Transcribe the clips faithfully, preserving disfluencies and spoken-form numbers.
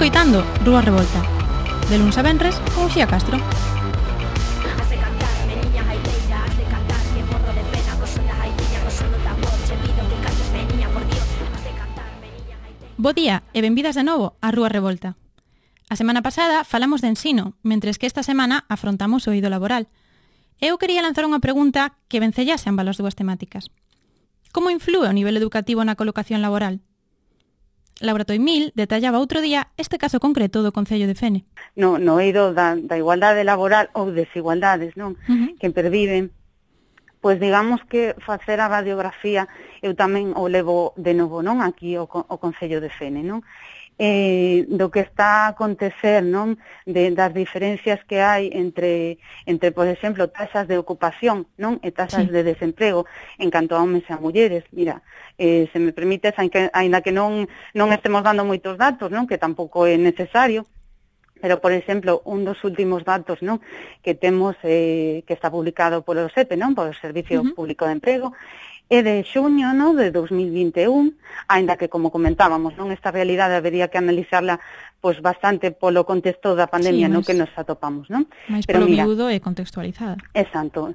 escoitando Rúa Revolta, de luns a venres con Uxía Castro. Bo día e benvidas de novo a Rúa Revolta. A semana pasada falamos de ensino, mentres que esta semana afrontamos o eido laboral. Eu quería lanzar unha pregunta que vencellase ambas as dúas temáticas. Como inflúe o nivel educativo na colocación laboral? Laura Toimil detallaba outro día este caso concreto do Concello de Fene. No, no eido da, da igualdade laboral ou desigualdades, non? Uh-huh. Que perviven. Pois digamos que facer a radiografía eu tamén o levo de novo, non? Aquí o, o Concello de Fene, non? Eh, do que está a acontecer, non? De, das diferencias que hai entre, entre, por exemplo, taxas de ocupación, non? E taxas sí. de desemprego en canto a homes e a mulleres. Mira, eh, se me permites, aínda que non, non estemos dando moitos datos, non? Que tampouco é necesario, pero, por exemplo, un dos últimos datos, non, que temos, eh, que está publicado polo S E P E, non, polo Servicio uh-huh. Público de Emprego, é de xuño, non, de dos mil vinte e un, aínda que, como comentábamos, non, esta realidade habería que analizarla pois bastante polo contexto da pandemia, sí, no que nos atopamos, non? Mais polo miúdo e contextualizada. Exacto.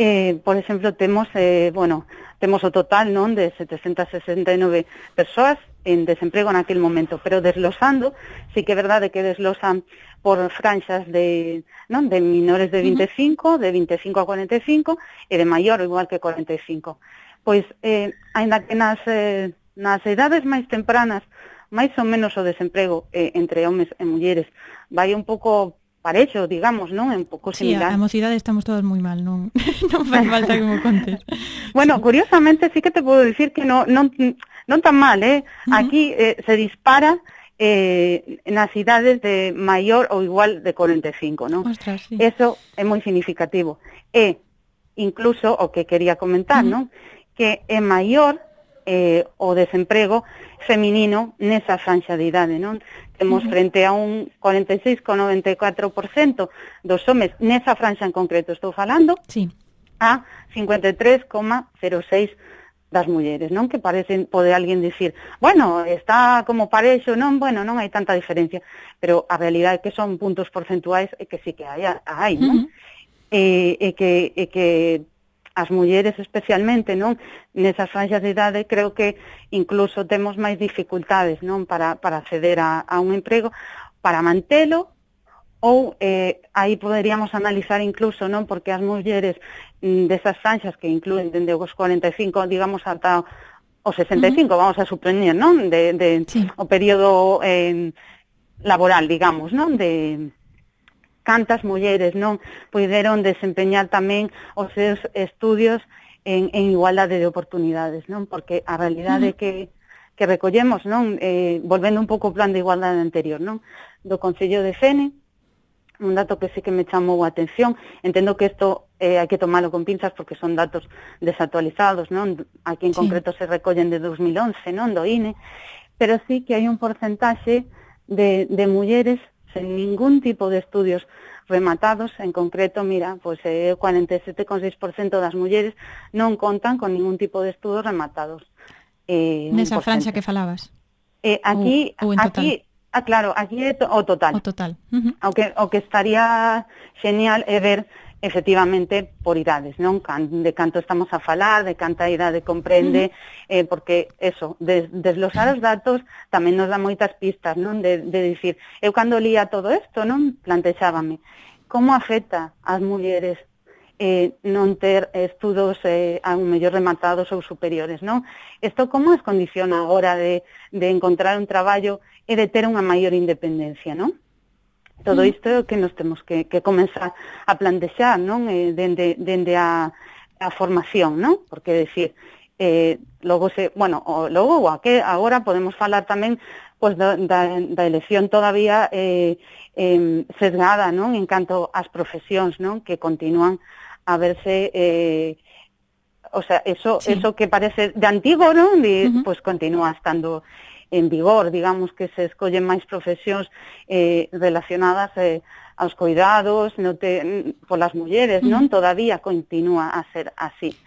Eh, por exemplo, temos, eh, bueno, temos o total, non, de setecentas sesenta e nove persoas en desemprego naquele momento, pero deslosando, sí que é verdade que deslosan por franxas de, non, de menores de vinte e cinco, uh-huh. de vinte e cinco a cuarenta e cinco, e de maior igual que cuarenta e cinco. Pois, eh, aínda que nas, eh, nas edades máis tempranas, máis ou menos o desemprego eh, entre homes e mulleres vai un pouco parexo, digamos, non? Un pouco similar. Sí, a mocidade estamos todos moi mal, non non fai falta que me contes. Bueno, sí. Curiosamente sí que te podo dicir que non non non tan mal, eh? Uh-huh. Aquí eh, se dispara eh, nas idades de maior ou igual de cuarenta e cinco, non? Ostras, sí. Eso é moi significativo. E incluso o que quería comentar, uh-huh. non? Que é maior eh, o desemprego feminino nesa franxa de idade, non? Temos uh-huh. frente a un cuarenta e seis coma noventa e catro por cento dos homes nesa franxa en concreto estou falando, sí. a cincuenta e tres coma cero seis das mulleres, non? Que parecen, pode alguén dicir, bueno, está como parexo, non, bueno, non hai tanta diferencia, pero a realidade é que son puntos porcentuais e que sí que hai, hai non? Uh-huh. E, e que, e que as mulleres especialmente, non, nesas franxas de idade, creo que incluso temos máis dificultades, non, para, para acceder a, a un emprego, para mantelo, ou eh, aí poderíamos analizar incluso, non, porque as mulleres mm, desas franxas que incluen dende os cuarenta e cinco, digamos, ata os sesenta e cinco, uh-huh. vamos a supoñer, non, de, de sí. o período eh, laboral, digamos, non, de cantas mulleres non puideron desempeñar tamén os seus estudios en, en igualdade de oportunidades, non? Porque a realidade uh-huh. que, que recollemos, non, eh, volvendo un pouco ao plan de igualdade anterior, non, do Concello de Fene, un dato que sí que me chamou a atención, entendo que isto eh, hai que tomalo con pinzas porque son datos desactualizados, non? Aquí en sí. concreto se recollen de dos mil once, non, do I N E, pero sí que hai un porcentaxe de, de mulleres sen ningún tipo de estudios rematados, en concreto, mira, pois eh, o cuarenta e sete coma seis por cento das mulleres non contan con ningún tipo de estudos rematados. Eh, Nesa franxa que falabas? Eh, aquí, ou, ou en total? Aquí, ah, claro, aquí é to, o total. O total. Uh-huh. O, que, o que estaría genial é ver efectivamente por idades, non? De canto estamos a falar, de canta idade comprende, uh-huh. eh, porque eso, des, deslosar os datos tamén nos dá moitas pistas, non? De, de dicir, eu cando lía todo isto, non? Plantexábame, como afecta ás mulleres eh, non ter estudos eh, a un mellor rematados ou superiores, non? Isto como as condiciona a hora de, de encontrar un traballo e de ter unha maior independencia, non? Todo isto é o que nos temos que, que comenzar a plantexar, non? Eh, dende, dende a, a formación, non? Porque, decir, eh, logo se, bueno, o, logo ou a que agora podemos falar tamén pois, da, da, da elección todavía eh, eh, sesgada, non? En canto ás profesións, non? Que continúan a verse, eh, o sea, eso, sí. eso que parece de antigo, non? E, uh-huh. Pois continúa estando en vigor, digamos que se escollen máis profesións eh, relacionadas eh, aos cuidados no te, polas mulleres, non? Todavía continúa a ser así.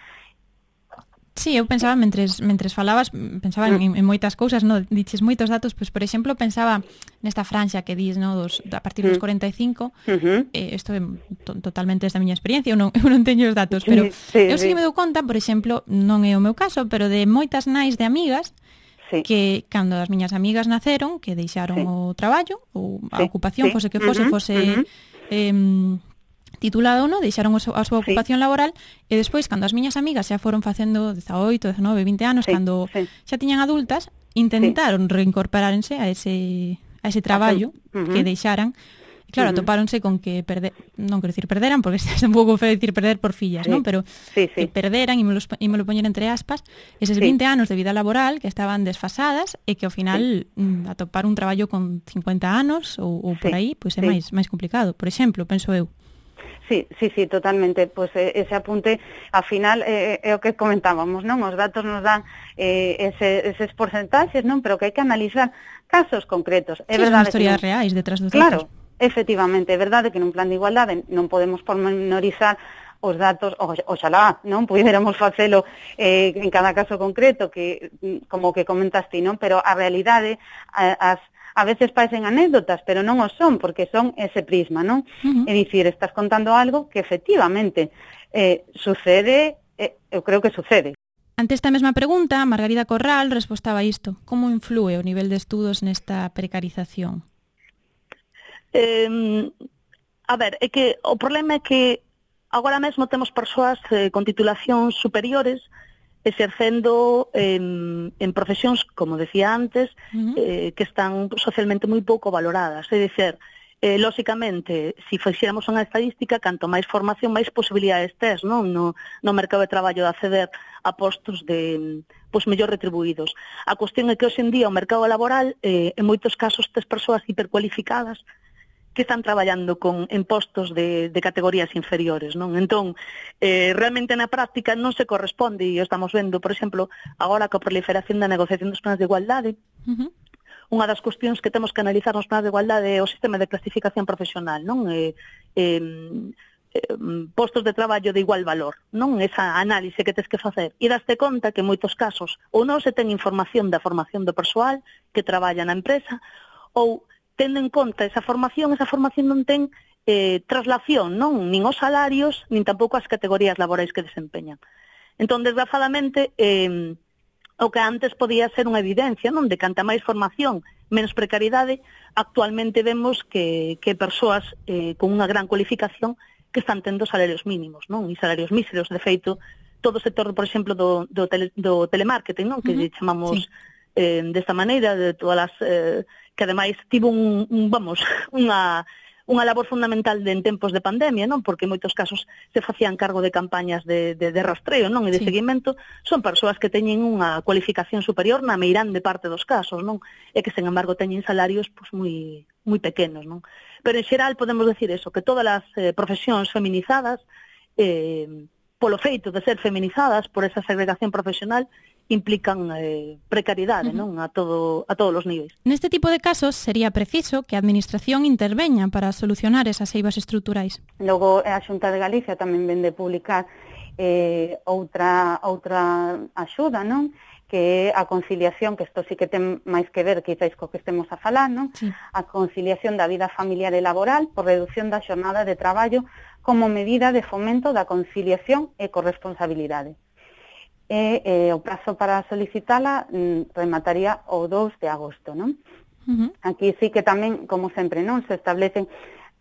Sí, eu pensaba, mentres, mentres falabas, pensaba en, en moitas cousas, no? Diches moitos datos, pois, por exemplo, pensaba nesta franxa que dis, no? Dos, a partir dos cuarenta e cinco, uh-huh. eh, isto é to, totalmente esta miña experiencia, eu non, eu non teño os datos, pero sí, eu sí, sí que me dou conta, por exemplo, non é o meu caso, pero de moitas nais de amigas, sí. que cando as miñas amigas naceron, que deixaron sí. o traballo, ou a sí. ocupación, sí. fose que fose, uh-huh. fose... Uh-huh. Eh, titulado, no, deixaron a súa ocupación sí. laboral e despois, cando as miñas amigas xa foron facendo dezaoito, dezanove, vinte anos, sí, cando sí. xa tiñan adultas, intentaron sí. reincorporarse a ese a ese traballo uh-huh. que deixaran. E claro, uh-huh. atopáronse con que perder, non quero dicir perderan, porque é un pouco feo dicir perder por fillas, sí. non? Pero sí, sí. que perderan, e me lo, e me lo poñen entre aspas, eses sí. vinte anos de vida laboral que estaban desfasadas e que ao final sí. mm, atopar un traballo con cincuenta anos ou, ou por aí, pois é sí. máis máis complicado. Por exemplo, penso eu. Sí, sí, sí, totalmente. Pois pues, ese apunte, ao final, é, é o que comentábamos, non? Os datos nos dan eh, ese, eses porcentaxes, non? Pero que hai que analizar casos concretos. É sí, verdade son historias que non... reais detrás dos claro, datos. Claro, efectivamente, é verdade que nun plan de igualdade non podemos pormenorizar os datos, o, oxalá, non? Puidéramos facelo eh, en cada caso concreto, que como que comentaste, non? Pero a realidade, as a veces parecen anécdotas, pero non o son, porque son ese prisma, non? Uh-huh. É dicir, estás contando algo que efectivamente eh, sucede, eh, eu creo que sucede. Ante esta mesma pregunta, Margarida Corral respostaba isto. Como influe o nivel de estudos nesta precarización? Eh, a ver, é que o problema é que agora mesmo temos persoas eh, con titulacións superiores exercendo en, en profesións, como decía antes, uh-huh. eh, que están socialmente moi pouco valoradas. É dicir, eh, lóxicamente, se fixéramos unha estadística, canto máis formación, máis posibilidades tes, non? No, no mercado de traballo de acceder a postos de, pois, mellor retribuídos. A cuestión é que hoxe en día o mercado laboral, eh, en moitos casos, tes persoas hipercualificadas que están traballando con en postos de, de categorías inferiores, non? Entón, eh, realmente na práctica non se corresponde, e estamos vendo, por exemplo, agora coa proliferación da negociación dos planes de igualdade, uh-huh. unha das cuestións que temos que analizar nos planes de igualdade é o sistema de clasificación profesional, non? Eh, eh, eh, postos de traballo de igual valor, non? Esa análise que tes que facer. E daste conta que en moitos casos ou non se ten información da formación do persoal que traballa na empresa, ou tendo en conta esa formación, esa formación non ten eh, traslación, non? Nin os salarios, nin tampouco as categorías laborais que desempeñan. Entón, desgraciadamente, eh, o que antes podía ser unha evidencia, non? De canta máis formación, menos precariedade, actualmente vemos que, que persoas eh, con unha gran cualificación que están tendo salarios mínimos, non? E salarios míseros, de feito, todo o sector, por exemplo, do, do, tele, do telemarketing, non? Que uh-huh. chamamos sí. eh, desta maneira, de todas as... Eh, que ademais tivo un, un vamos, unha, unha labor fundamental de, en tempos de pandemia, non? Porque en moitos casos se facían cargo de campañas de, de, de rastreo, non? E de sí. seguimento, son persoas que teñen unha cualificación superior na meirande parte dos casos, non? E que, sen embargo, teñen salarios pois, moi, moi pequenos, non? Pero, en xeral, podemos decir eso, que todas as eh, profesións feminizadas, eh, polo feito de ser feminizadas, por esa segregación profesional, implican eh, precariedade, uh-huh. non? A todo a todos os niveis. Neste tipo de casos sería preciso que a Administración interveña para solucionar esas eivas estruturais. Logo a Xunta de Galicia tamén vende publicar eh, outra outra axuda, non? Que é a conciliación, que isto sí que ten máis que ver quizáis co que estemos a falar, non? Sí. A conciliación da vida familiar e laboral por reducción da xornada de traballo como medida de fomento da conciliación e corresponsabilidade. E eh, o prazo para solicitala mm, remataría o dous de agosto, non? Uh-huh. Aquí sí que tamén, como sempre, non se establecen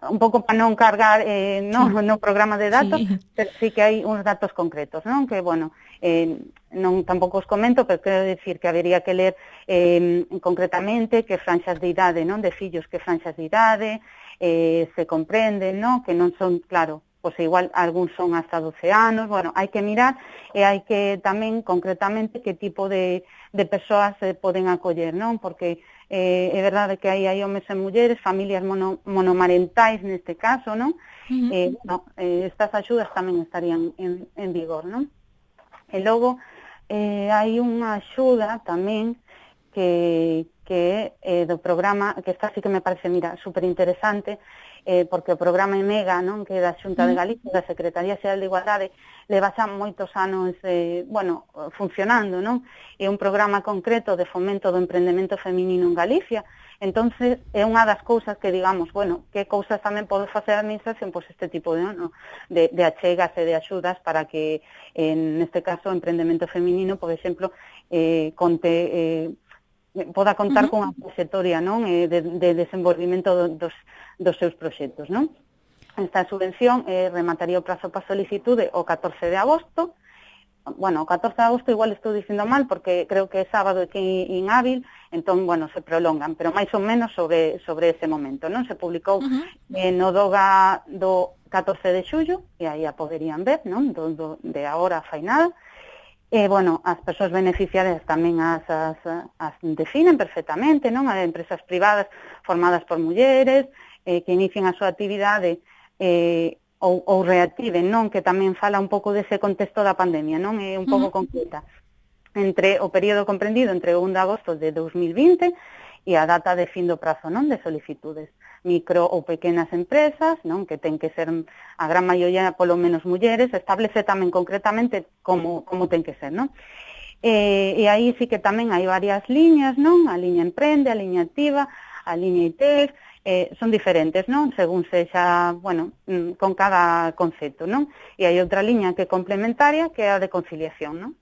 un pouco para non cargar eh, no, sí. no programa de datos, sí. pero sí que hai uns datos concretos, non? Que, bueno, eh, non tampouco os comento, pero quero decir que habería que ler eh, concretamente que franxas de idade, non? De fillos que franxas de idade eh, se comprenden, non? Que non son, claro, pois igual algúns son hasta doce anos, bueno, hai que mirar e hai que tamén concretamente que tipo de, de persoas se poden acoller, non? Porque eh, é verdade que aí hai homes e mulleres, familias mono, monomarentais neste caso, non? Uh-huh. Eh, no, eh, estas axudas tamén estarían en, en vigor, non? E logo eh, hai unha axuda tamén que, que é eh, do programa, que esta sí que me parece, mira, super interesante, eh, porque o programa EMEGA, non, que é da Xunta de Galicia, da Secretaría Xeral de Igualdade, leva xa moitos anos, eh, bueno, funcionando, non? É un programa concreto de fomento do emprendemento feminino en Galicia. Entonces, é unha das cousas que, digamos, bueno, que cousas tamén pode facer a administración, pois este tipo de, no, de, de achegas e de axudas para que, en este caso, o emprendemento feminino, por exemplo, eh, conte, eh, poda contar uh-huh. con a trayectoria, non, eh, de, de desenvolvimento dos, dos seus proxectos, non? Esta subvención eh, remataría o prazo para solicitude o catorce de agosto. Bueno, o catorce de agosto igual estou dicindo mal porque creo que é sábado e que é inhábil, entón, bueno, se prolongan, pero máis ou menos sobre sobre ese momento, non? Se publicou uh-huh. eh, no DOGA do catorce de xullo, e aí a poderían ver, non? Do, do, de agora fai nada. E, bueno, as persoas beneficiarias tamén as, as, as definen perfectamente, non? As empresas privadas formadas por mulleres, eh, que inician a súa actividade eh, ou, ou reactiven, non? Que tamén fala un pouco dese contexto da pandemia, non? É un pouco uh-huh. concreta. Entre o período comprendido entre o primeiro de agosto de dos mil vinte e a data de fin do prazo, non? De solicitudes. Micro ou pequenas empresas, non? Que ten que ser a gran maioría polo menos mulleres, establece tamén concretamente como, como ten que ser, non? E, e aí sí que tamén hai varias liñas, non? A liña Emprende, a liña Activa, a liña I T E F, eh, son diferentes, non? Según sexa, bueno, con cada concepto, non? E hai outra liña que é complementaria, que é a de conciliación, non?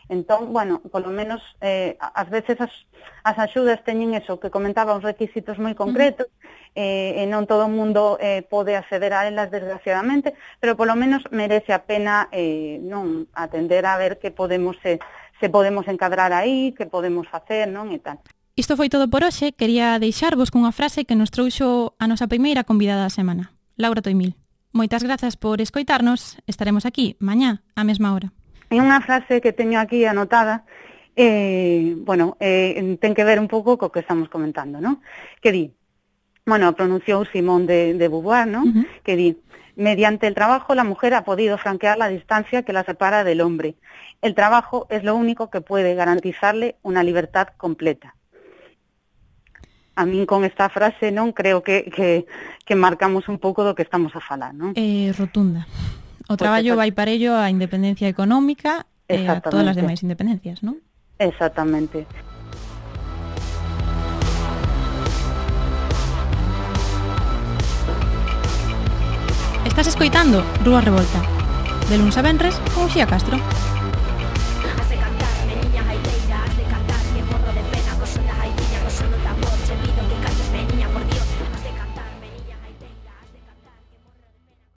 Entón, bueno, polo menos, eh, ás veces as, as axudas teñen eso, que comentaba, uns requisitos moi concretos, eh, e non todo o mundo eh, pode acceder a elas, desgraciadamente, pero polo menos merece a pena eh, non atender a ver que podemos, eh, se podemos encadrar aí, que podemos facer, non, e tal. Isto foi todo por hoxe. Quería deixarvos cunha frase que nos trouxo a nosa primeira convidada da semana, Laura Toimil. Moitas grazas por escoitarnos. Estaremos aquí mañá á mesma hora. É unha frase que teño aquí anotada, eh, bueno, eh, ten que ver un pouco co que estamos comentando, ¿no? Que di, bueno, pronunciou Simone de, de Beauvoir, ¿no? Uh-huh. Que di, mediante el trabajo la mujer ha podido franquear la distancia que la separa del hombre. El trabajo es lo único que puede garantizarle una libertad completa. A min con esta frase, non, creo que, que, que marcamos un pouco do que estamos a falar, non? Eh, rotunda. O traballo vai para ello a independencia económica e a todas as demais independencias, non? Exactamente. Estás escoitando Rúa Revolta, de luns a venres con Uxía Castro.